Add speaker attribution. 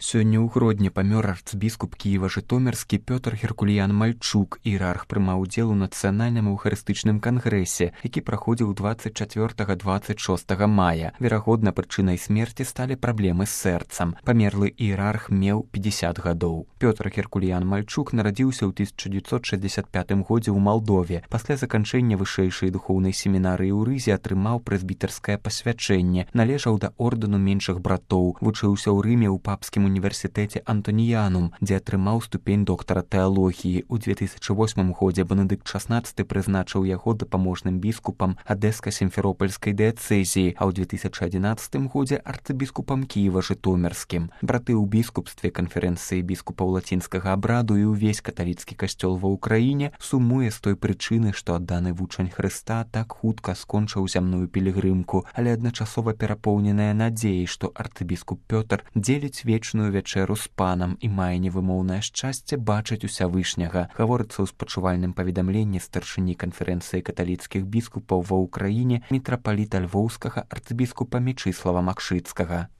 Speaker 1: Сёння ў Гродні памёр арцбіскуп Кіева-Жытомірскі Пётр Геркуліян Мальчук. Іерарх прымаў удзел у нацыянальным эўхарыстычным кангрэсе, які праходзіў 24-26 мая. Верагодна, прычынай смерці сталі праблемы з сэрцам. Памерлы іерарх меў 50 гадоў. Пётр Геркуліян Мальчук нарадзіўся ў 1965 годзе ў Малдове. Пасля заканчэння вышэйшай духоўнай семінарыі ў Рызе атрымаў прэзбітарскае пасвячэнне, належаў да ордэну меншых братоў, вучыўся ў Рыме ў папскім універсітэце Антоніянум, дзе атрымаў ступень доктара тэалогіі. У 2008 годзе Бенедыкт XVI прызначыў яго дапаможным біскупам Адэска-Сімферопольскай дыяцэзіі, а ў 2011 годзе арцыбіскупам Кіева-Жытомірскім. Браты ў біскупстве канферэнцыі біскупаў лацінскага абраду і ўвесь каталіцкі касцёл ва ўкраіне сумуе з той прычыны, што адданы вучань Хрыста так хутка скончыў зямную пілігрымку, але адначасова перапоўненая надзеяй, што арцыбіскуп Пётр дзеліць вечную вячэру з панам і мае невымоўнае шчасце бачыць усявышняга, гаворыцца ў спачувальным паведамленні старшыні канферэнцыі каталіцкіх біскупаў ва ўкраіне мітрапаліта львоўскага арцыбіскупа Мечыслава Макшыцкага.